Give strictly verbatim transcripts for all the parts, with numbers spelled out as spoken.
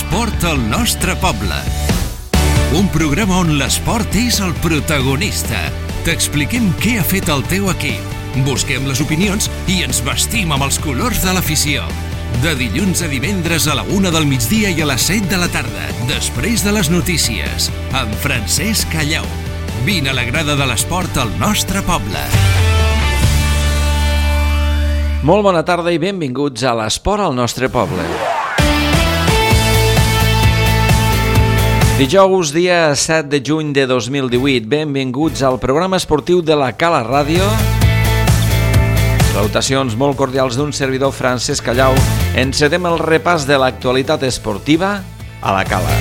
L'esport al nostre poble. Un programa on l'esport és el protagonista. T'expliquem què ha fet el teu equip. Busquem les opinions i ens vestim amb els colors de l'afició. De dilluns a divendres a la una del migdia i a les set de la tarda, després de les notícies, amb Francesc Callau. Vine a la grada de l'esport al nostre poble. Molt bona tarda i benvinguts a l'esport al nostre poble. Dijous, dia set de juny de dos mil divuit, benvinguts al programa esportiu de la Cala Ràdio. Salutacions molt cordials d'un servidor, Francesc Callau. Encedem el repàs de l'actualitat esportiva a la Cala.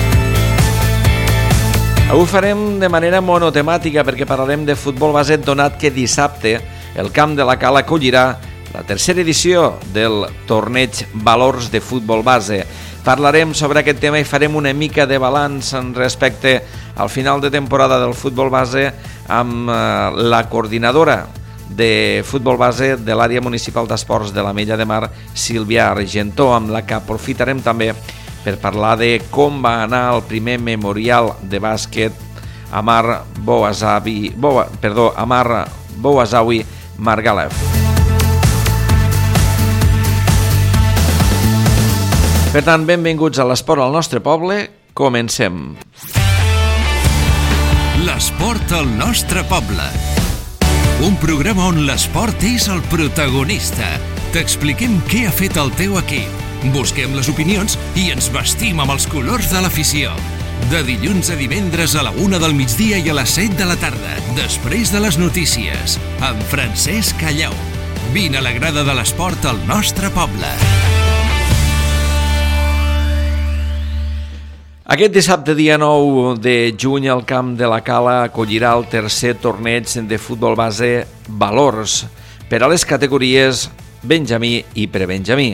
Avui farem de manera monotemàtica perquè parlarem de futbol base, donat que dissabte el camp de la Cala acollirà la tercera edició del torneig Valors de futbol base. Parlarem sobre aquest tema i farem una mica de balanç en respecte al final de temporada del futbol base amb la coordinadora de futbol base de l'àrea municipal d'esports de l'Ametlla de Mar, Sílvia Argentó, amb la que aprofitarem també per parlar de com va anar el primer memorial de bàsquet Amar Bouazawi, Boa, perdó, Amar Bouazawi Margalev. Per tant, benvinguts a l'esport al nostre poble. Comencem. L'esport al nostre poble. Un programa on l'esport és el protagonista. T'expliquem què ha fet el teu equip. Busquem les opinions i ens vestim amb els colors de l'afició. De dilluns a divendres a la una del migdia i a les set de la tarda, després de les notícies, amb Francesc Callau. Vine a la grada de l'esport al nostre poble. Aquest dissabte, dia nou de juny, el camp de la Cala acollirà el tercer torneig de futbol base Valors per a les categories Benjamí i Prebenjamí,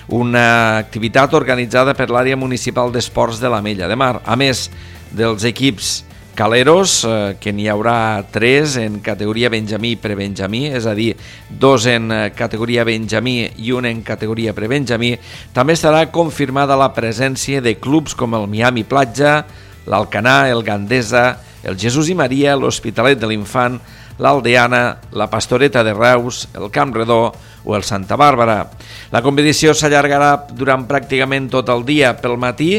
una activitat organitzada per l'àrea municipal d'esports de l'Ametlla de Mar. A més dels equips caleros, eh, que n'hi haurà tres en categoria Benjamí i Prebenjamí, és a dir, dos en categoria Benjamí i un en categoria Prebenjamí, també estarà confirmada la presència de clubs com el Miami Platja, l'Alcanar, el Gandesa, el Jesús i Maria, l'Hospitalet de l'Infant, l'Aldeana, la Pastoreta de Reus, el Camp Redó o el Santa Bàrbara. La competició s'allargarà durant pràcticament tot el dia. Pel matí,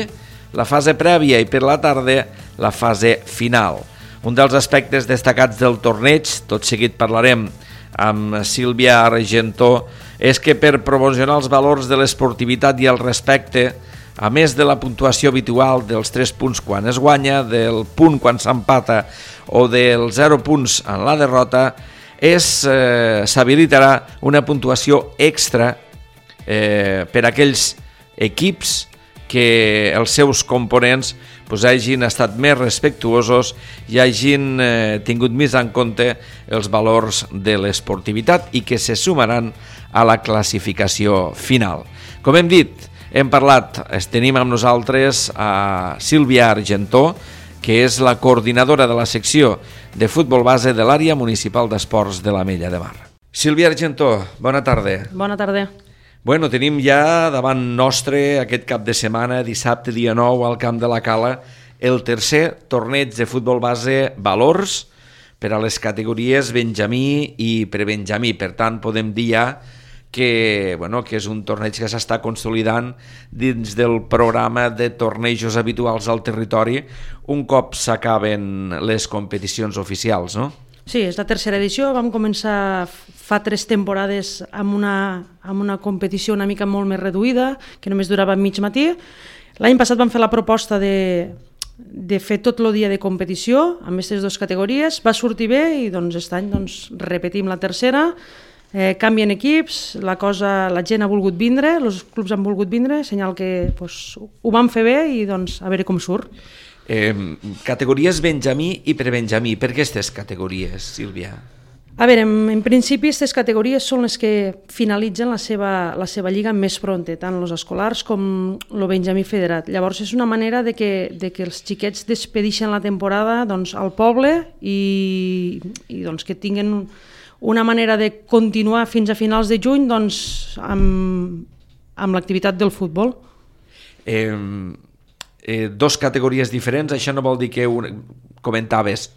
la fase prèvia, i per la tarda la fase final. Un dels aspectes destacats del torneig, tot seguit parlarem amb Sílvia Argentó, és que per promocionar els valors de l'esportivitat i el respecte, a més de la puntuació habitual dels tres punts quan es guanya, del punt quan s'empata o dels zero punts en la derrota, és, eh, s'habilitarà una puntuació extra eh, per a aquells equips que els seus components pues, hagin estat més respectuosos i hagin eh, tingut més en compte els valors de l'esportivitat i que se sumaran a la classificació final. Com hem dit, hem parlat, tenim amb nosaltres a Sílvia Argentó, que és la coordinadora de la secció de futbol base de l'àrea municipal d'esports de l'Ametlla de Mar. Sílvia Argentó, bona tarda. Bona tarda. Bueno, tenim ja davant nostre aquest cap de setmana, dissabte dia nou, al camp de la Cala, el tercer torneig de futbol base Valors per a les categories Benjamí i Prebenjamí. Per tant, podem dir ja que, bueno, que és un torneig que s'està consolidant dins del programa de tornejos habituals al territori un cop s'acaben les competicions oficials, no? Sí, és la tercera edició. Vam començar fa tres temporades amb una, amb una competició una mica molt més reduïda, que només durava mig matí. L'any passat vam fer la proposta de, de fer tot el dia de competició amb aquestes dues categories. Va sortir bé i doncs, aquest any doncs, repetim la tercera. Eh, canvien equips, la, cosa, la gent ha volgut vindre, els clubs han volgut vindre, senyal que doncs, ho vam fer bé i doncs, a veure com surt. Eh, categories Benjamí i Prebenjamí. Per què aquestes categories, Sílvia? A veure, en, en principi aquestes categories són les que finalitzen la seva, la seva lliga més pronta, tant els escolars com el Benjamí federat. Llavors és una manera de que, de que els xiquets despedixen la temporada doncs, al poble i, i doncs, que tinguen una manera de continuar fins a finals de juny doncs, amb, amb l'activitat del futbol. Eh, eh, dos categories diferents, això no vol dir que un... comentaves,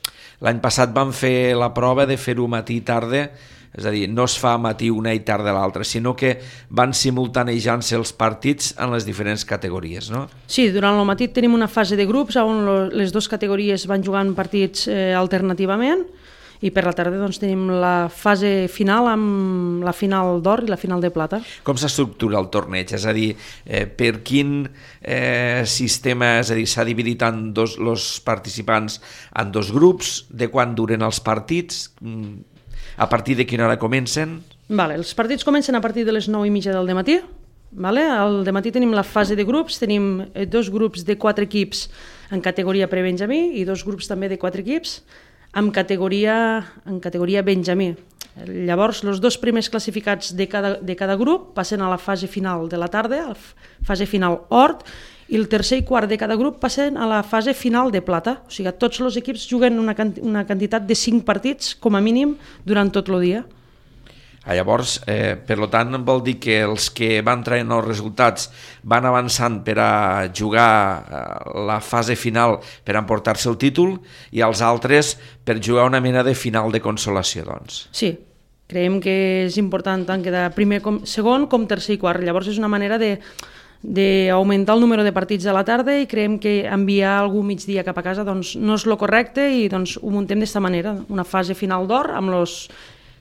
l'any passat vam fer la prova de fer-ho matí i tarda, és a dir, no es fa matí una i tarda l'altra, sinó que van simultanejant-se els partits en les diferents categories, no? Sí, durant el matí tenim una fase de grups on les dues categories van jugant partits eh, alternativament, i per la tarda doncs, tenim la fase final amb la final d'or i la final de plata. Com s'estructura el torneig? És a dir, eh, per quin eh, sistema, és a dir, s'ha dividit en dos, els participants en dos grups, de quan duren els partits, a partir de quina hora comencen? Vale, els partits comencen a partir de les nou i mitja del dematí. Vale? Al dematí tenim la fase de grups, tenim dos grups de quatre equips en categoria pre-benjamí i dos grups també de quatre equips en categoria, en categoria benjamí. Llavors, els dos primers classificats de cada, de cada grup passen a la fase final de la tarda, a la fase final or, i el tercer i quart de cada grup passen a la fase final de plata. O sigui, tots els equips juguen una, una quantitat de cinc partits, com a mínim, durant tot el dia. Ah, llavors, eh, per tant, vol dir que els que van traient els resultats van avançant per a jugar eh, la fase final per emportar-se el títol i els altres per jugar una mena de final de consolació, doncs. Sí, creiem que és important tant quedar primer com segon com tercer i quart. Llavors és una manera de d'augmentar el número de partits a la tarda i creiem que enviar algú migdia cap a casa doncs, no és el correcte i doncs, ho muntem d'aquesta manera, una fase final d'or amb els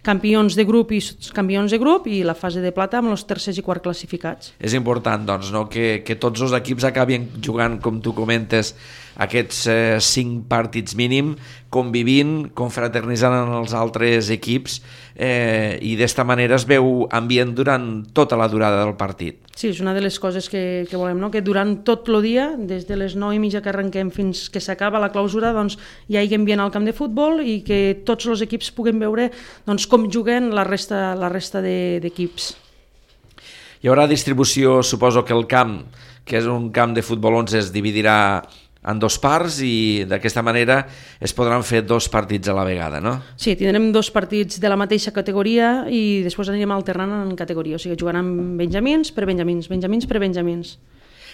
campions de grup i campions de grup i la fase de plata amb els tercers i quart classificats. És important doncs, no? que, que tots els equips acabin jugant, com tu comentes, aquests eh, cinc partits mínim, convivint, confraternitzant amb els altres equips eh, i d'esta manera es veu ambient durant tota la durada del partit. Sí, és una de les coses que, que volem, no? Que durant tot el dia, des de les nou i mitja que arrenquem fins que s'acaba la clausura, doncs, hi hagi ambient al camp de futbol i que tots els equips puguin veure doncs, com juguen la resta, la resta d'equips. Hi haurà distribució, suposo que el camp, que és un camp de futbol onze, es dividirà en dos parts i d'aquesta manera es podran fer dos partits a la vegada, no? Sí, tindrem dos partits de la mateixa categoria i després anirem alternant en categoria, o sigui, jugaran benjamins per benjamins, benjamins per benjamins.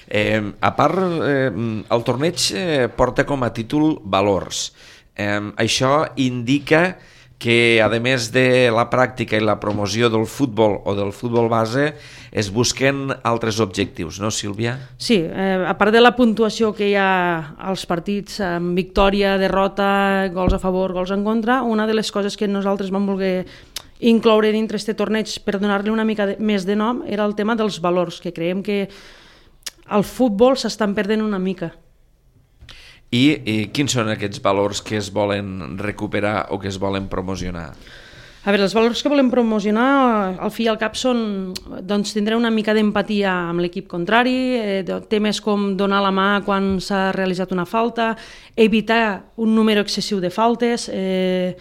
Eh, a part, eh, el torneig eh, porta com a títol Valors. Eh, això indica que, a més de la pràctica i la promoció del futbol o del futbol base, es busquen altres objectius, no, Sílvia? Sí, eh, a part de la puntuació que hi ha als partits, amb victòria, derrota, gols a favor, gols en contra, una de les coses que nosaltres vam voler incloure dintre aquest torneig per donar-li una mica de, més de nom era el tema dels valors, que creiem que al futbol s'estan perdent una mica. I, I quins són aquests valors que es volen recuperar o que es volen promocionar? A veure, els valors que volem promocionar, al fi i al cap, són doncs, tindre una mica d'empatia amb l'equip contrari, eh, temes com donar la mà quan s'ha realitzat una falta, evitar un número excessiu de faltes, eh,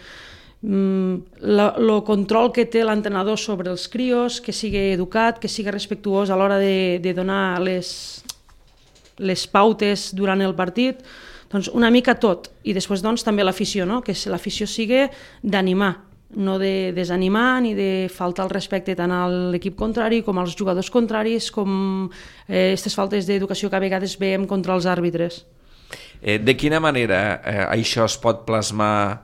el control que té l'entrenador sobre els crios, que sigui educat, que sigui respectuós a l'hora de, de donar les, les pautes durant el partit, doncs una mica tot. I després doncs, també l'afició, no? Que l'afició sigui d'animar, no de desanimar ni de faltar el respecte tant a l'equip contrari com als jugadors contraris, com aquestes eh, faltes d'educació que a vegades veiem contra els àrbitres. Eh, de quina manera eh, això es pot plasmar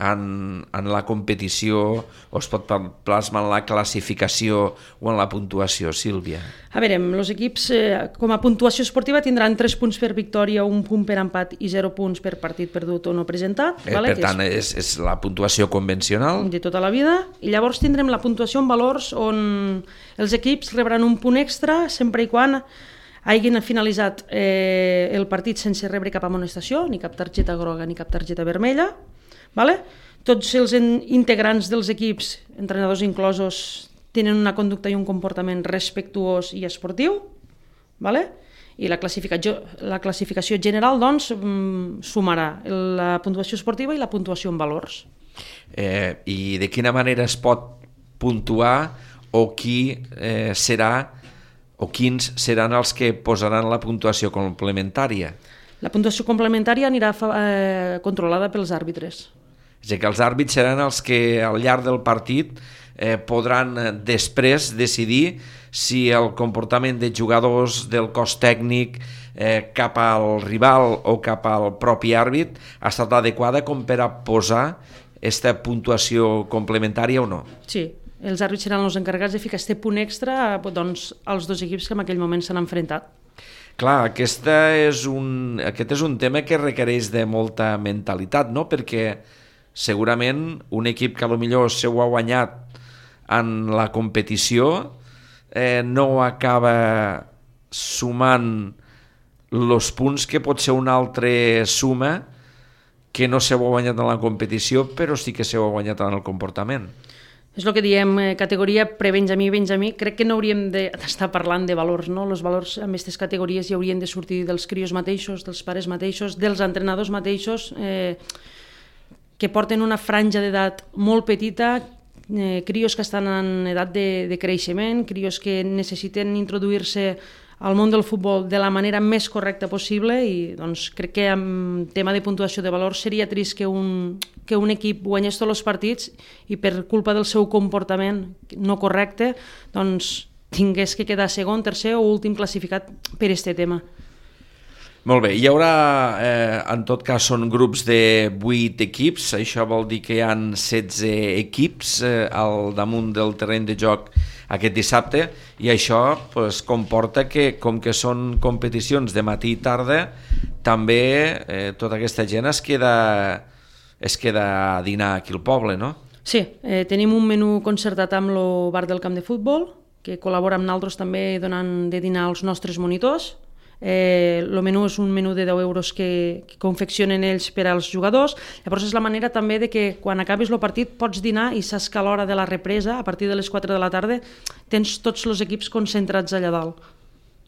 en, en la competició o es pot plasmar en la classificació o en la puntuació, Sílvia? A veure, els equips eh, com a puntuació esportiva tindran tres punts per victòria, un punt per empat i zero punts per partit perdut o no presentat. Eh, vale? Per tant, és, és la puntuació convencional? De tota la vida. I llavors tindrem la puntuació en valors on els equips rebran un punt extra sempre i quan hagin finalitzat eh, el partit sense rebre cap amonestació, ni cap targeta groga ni cap targeta vermella. Vale? Tots els integrants dels equips, entrenadors inclosos, tenen una conducta i un comportament respectuós i esportiu, vale? I la classificació, la classificació general doncs, sumarà la puntuació esportiva i la puntuació en valors. Eh, I de quina manera es pot puntuar o qui eh, serà o quins seran els que posaran la puntuació complementària? La puntuació complementària anirà eh, controlada pels àrbitres. És a dir, que els àrbits seran els que al llarg del partit eh, podran després decidir si el comportament de jugadors, del cos tècnic, eh, cap al rival o cap al propi àrbit ha estat adequada com per a posar aquesta puntuació complementària o no? Sí, els àrbits seran els encarregats de ficar aquest punt extra doncs, als dos equips que en aquell moment s'han enfrontat. Clar, aquesta és un, aquest és un tema que requereix de molta mentalitat, no? Perquè segurament un equip que potser s'ho ha guanyat en la competició eh, no acaba sumant els punts que pot ser una altra suma que no s'ho ha guanyat en la competició però sí que s'ho ha guanyat en el comportament. És el que diem, eh, categoria pre-Benjamí, Benjamí, crec que no hauríem d'estar parlant de valors, no? Els valors en aquestes categories hi haurien de sortir dels crios mateixos, dels pares mateixos, dels entrenadors mateixos, eh, que porten una franja d'edat molt petita, eh, crios que estan en edat de, de creixement, crios que necessiten introduir-se al món del futbol de la manera més correcta possible i doncs, crec que en tema de puntuació de valor seria trist que un, que un equip guanyés tots els partits i per culpa del seu comportament no correcte doncs, tingués que quedar segon, tercer o últim classificat per aquest tema. Molt bé, hi haurà, eh, en tot cas són grups de vuit equips, això vol dir que hi ha setze equips eh, al damunt del terreny de joc aquest dissabte i això pues, comporta que com que són competicions de matí i tarda també eh, tota aquesta gent es queda, es queda a dinar aquí al poble, no? Sí, eh, tenim un menú concertat amb el bar del camp de futbol que col·labora amb nosaltres també donant de dinar als nostres monitors. Eh, el menú és un menú de deu euros que, que confeccionen ells per als jugadors. Llavors és la manera també de que quan acabis el partit pots dinar i saps que a l'hora de la represa, a partir de les quatre de la tarda, tens tots els equips concentrats allà dalt.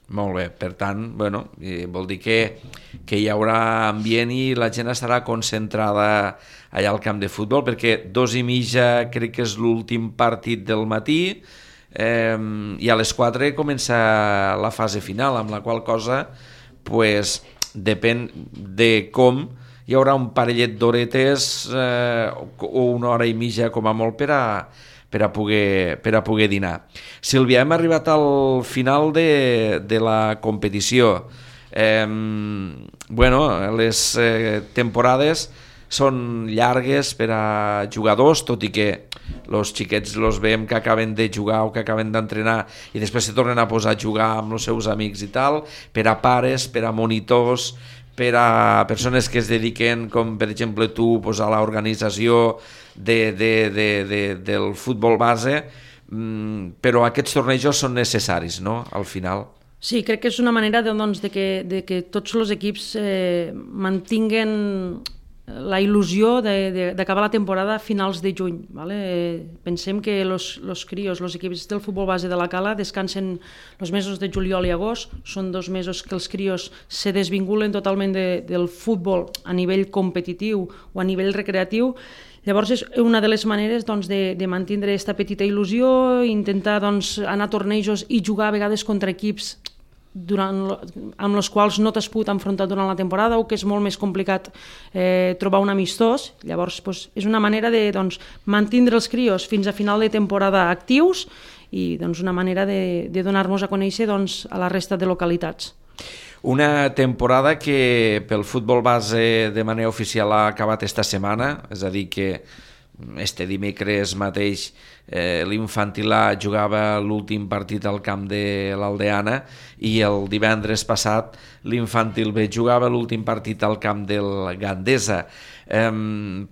Molt bé, per tant, bueno, vol dir que, que hi haurà ambient i la gent estarà concentrada allà al camp de futbol, perquè dos i mitja crec que és l'últim partit del matí, Eh, i a les quatre comença la fase final, amb la qual cosa pues, depèn de com hi haurà un parellet d'horetes eh, o una hora i mitja com a molt per a, per a, poder, per a poder dinar. Sílvia, hem arribat al final de, de la competició. Eh, bueno, les eh, temporades són llargues per a jugadors, tot i que els xiquets els veiem que acaben de jugar o que acaben d'entrenar i després se tornen a posar a jugar amb els seus amics i tal, per a pares, per a monitors, per a persones que es dediquen, com per exemple tu, pues, a l'organització de, de, de, de, del futbol base, però aquests tornejos són necessaris, no?, al final. Sí, crec que és una manera de, doncs, de, que, de que tots els equips eh, mantinguen la il·lusió d'acabar la temporada a finals de juny. Vale? Pensem que els crios, els equips del futbol base de la Cala descansen els mesos de juliol i agost, són dos mesos que els crios se desvinculen totalment de, del futbol a nivell competitiu o a nivell recreatiu. Llavors és una de les maneres doncs, de, de mantenir aquesta petita il·lusió, intentar doncs, anar a tornejos i jugar a vegades contra equips durant, amb els quals no t'has pogut enfrontar durant la temporada o que és molt més complicat eh, trobar un amistós. Llavors doncs, és una manera de doncs, mantenir els crios fins a final de temporada actius i doncs, una manera de, de donar-nos a conèixer doncs, a la resta de localitats. Una temporada que pel futbol base de manera oficial ha acabat esta setmana, és a dir que este dimecres mateix eh, l'Infantil A jugava l'últim partit al camp de l'Aldeana i el divendres passat l'Infantil B jugava l'últim partit al camp del Gandesa. Eh,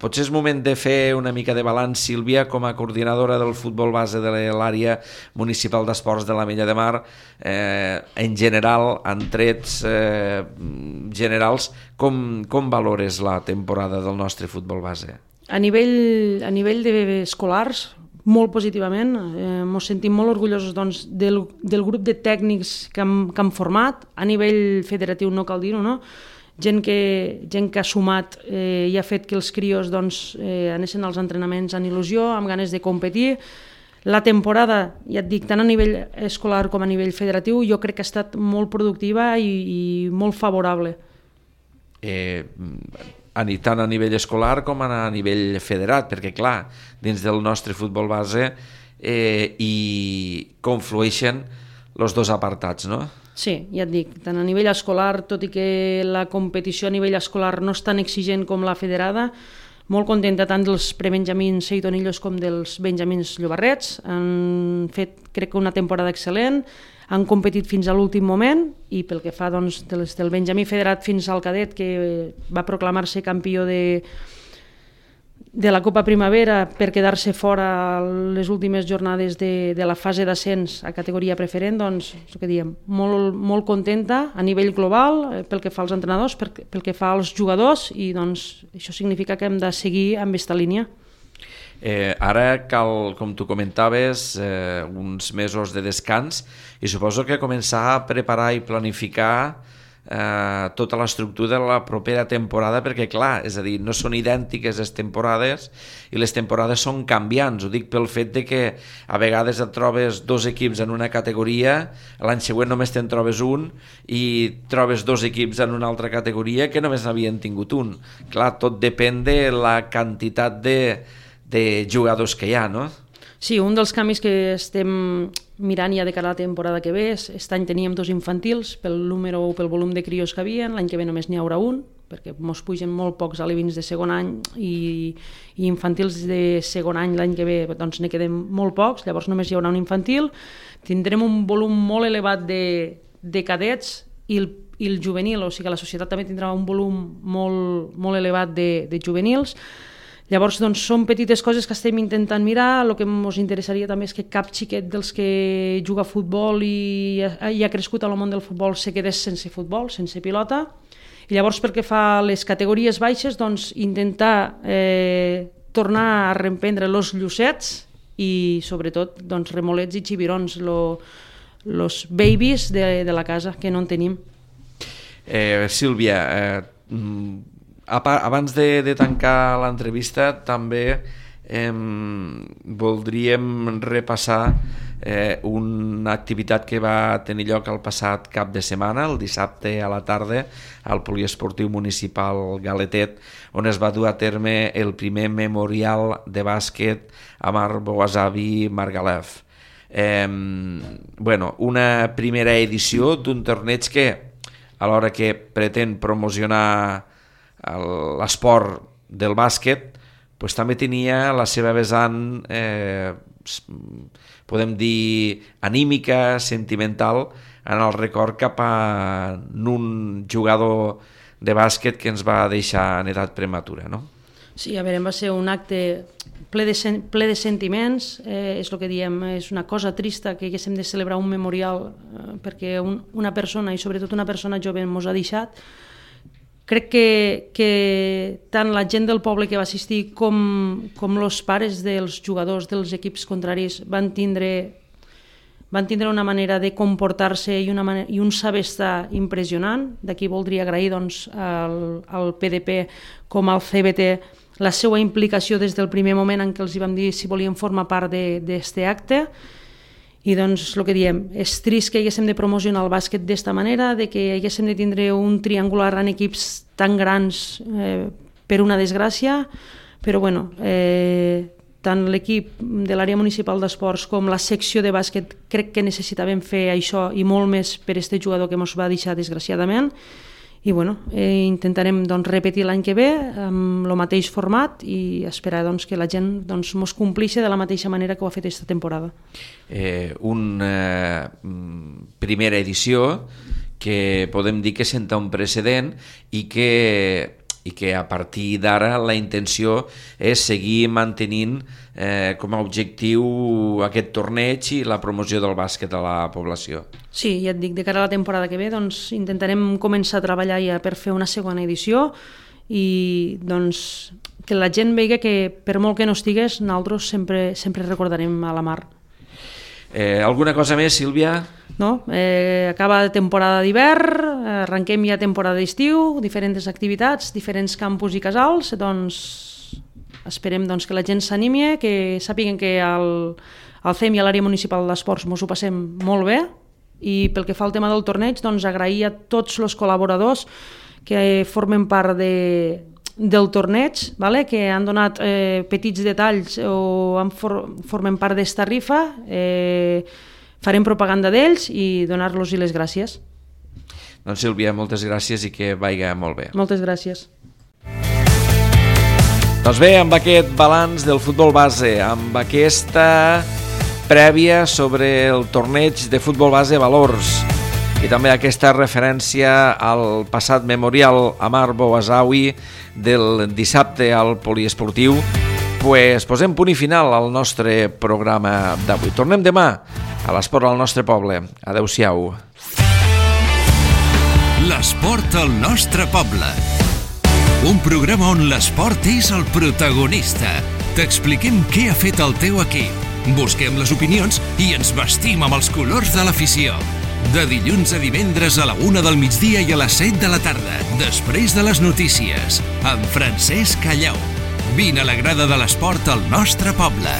potser és moment de fer una mica de balanç, Sílvia, com a coordinadora del futbol base de l'àrea municipal d'esports de l'Ametlla de Mar, eh, en general, en trets eh, generals, com, com valores la temporada del nostre futbol base? A nivell, a nivell d'escolars, molt positivament. Eh, ens sentim molt orgullosos doncs, del, del grup de tècnics que hem, que hem format. A nivell federatiu no cal dir-ho, no? Gent que, gent que ha sumat eh, i ha fet que els crios doncs, eh, anessin als entrenaments amb il·lusió, amb ganes de competir. La temporada, ja et dic, tant a nivell escolar com a nivell federatiu, jo crec que ha estat molt productiva i, i molt favorable. Eh... tant a nivell escolar com a nivell federat, perquè clar, dins del nostre futbol base eh, i conflueixen els dos apartats, no? Sí, ja et dic, tant a nivell escolar, tot i que la competició a nivell escolar no és tan exigent com la federada, molt contenta tant dels prebenjamins Seitonillos com dels benjamins Llobarrets. Han fet, crec que, una temporada excel·lent, han competit fins a l'últim moment i pel que fa doncs, des del benjamí federat fins al cadet, que va proclamar-se campió de, de la Copa Primavera per quedar-se fora les últimes jornades de, de la fase d'ascens a categoria preferent, doncs, que diem, molt, molt contenta a nivell global pel que fa als entrenadors, pel, pel que fa als jugadors, i doncs, això significa que hem de seguir amb aquesta línia. Eh, ara cal, com tu comentaves, eh, uns mesos de descans i suposo que començar a preparar i planificar eh, tota l'estructura de la propera temporada, perquè clar, és a dir, no són idèntiques les temporades i les temporades són canviants. Ho dic pel fet de que a vegades et trobes dos equips en una categoria, l'any següent només te'n trobes un i trobes dos equips en una altra categoria que només n'havien tingut un. Clar, tot depèn de la quantitat de de jugadors que hi ha, no? Sí, un dels canvis que estem mirant ja de cara a la temporada que ve és, aquest any teníem dos infantils pel número o pel volum de crios que havia, l'any que ve només n'hi haurà un, perquè mos pugen molt pocs alevins de segon any i, i infantils de segon any l'any que ve doncs ne queden molt pocs, llavors només hi haurà un infantil, tindrem un volum molt elevat de, de cadets i el, i el juvenil, o sigui que la societat també tindrà un volum molt, molt elevat de, de juvenils. Llavors, doncs, són petites coses que estem intentant mirar. El que ens interessaria també és que cap xiquet dels que juga a futbol i ha crescut al món del futbol se quedés sense futbol, sense pilota. I llavors, pel que fa a les categories baixes, doncs, intentar eh, tornar a reemprendre els llucets i, sobretot, doncs, remolets i xibirons, els babies de, de la casa, que no en tenim. Eh, Sílvia, eh, abans de, de tancar l'entrevista també eh, voldríem repassar eh, una activitat que va tenir lloc el passat cap de setmana, el dissabte a la tarda, al Poliesportiu Municipal Galetet, on es va dur a terme el primer memorial de bàsquet a Marc-Boazavi Margalef. Eh, bueno, una primera edició d'un torneig que, alhora que pretén promocionar l'esport del bàsquet, doncs també tenia la seva vessant, eh, podem dir, anímica, sentimental, en el record cap a un jugador de bàsquet que ens va deixar en edat prematura, no? Sí, a veure, va ser un acte ple de, sen ple de sentiments, eh, és el que diem, és una cosa trista que haguéssim de celebrar un memorial eh, perquè un, una persona, i sobretot una persona jove, ens ha deixat. Crec que, que tant la gent del poble que va assistir com, com els pares dels jugadors dels equips contraris van tindre, van tindre una manera de comportar-se i, una manera, i un saber estar impressionant. D'aquí voldria agrair doncs, al, al P D P com al C B T la seva implicació des del primer moment en què els hi vam dir si volien formar part d'aquest acte. I doncs el que diem, és trist que haguéssim de promocionar el bàsquet d'esta manera, de que haguéssim de tindre un triangular en equips tan grans eh, per una desgràcia, però bueno, eh, tant l'equip de l'àrea municipal d'esports com la secció de bàsquet crec que necessitàvem fer això i molt més per este jugador que ens va deixar desgraciadament. I bueno, eh, intentarem doncs, repetir l'any que ve amb el mateix format i esperar doncs, que la gent doncs, mos complixi de la mateixa manera que ho ha fet aquesta temporada. Eh, una eh, primera edició que podem dir que senta un precedent i que, i que a partir d'ara la intenció és seguir mantenint eh, com a objectiu aquest torneig i la promoció del bàsquet a la població. Sí, ja et dic, de cara a la temporada que ve doncs, intentarem començar a treballar ja per fer una segona edició i doncs, que la gent vegi que per molt que no estigués, nosaltres sempre, sempre recordarem a la Mar. Eh, alguna cosa més, Sílvia? No? Eh, acaba temporada d'hivern, arrenquem ja temporada d'estiu, diferents activitats, diferents campus i casals, doncs esperem doncs, que la gent s'animi, que sàpiguen que al, al C E M i a l'àrea municipal d'esports ens ho passem molt bé, i pel que fa al tema del torneig, doncs agrair a tots els col·laboradors que formen part de, del torneig, vale? Que han donat eh, petits detalls o han for formen part d'esta rifa. Eh, farem propaganda d'ells i donar-los les gràcies. Doncs Sílvia, moltes gràcies i que vaiga molt bé. Moltes gràcies. Doncs bé, amb aquest balanç del futbol base, amb aquesta prèvia sobre el torneig de futbol base Valors i també aquesta referència al passat memorial Amar Bouazaoui del dissabte al poliesportiu, pues posem punt i final al nostre programa d'avui. Tornem demà a l'esport al nostre poble. Adéu-siau. L'esport al nostre poble. Un programa on l'esport és el protagonista. T'expliquem què ha fet el teu equip. Busquem les opinions i ens vestim amb els colors de l'afició. De dilluns a divendres a la una del migdia i a les set de la tarda, després de les notícies, amb Francesc Callau. Vine a la grada de l'esport al nostre poble.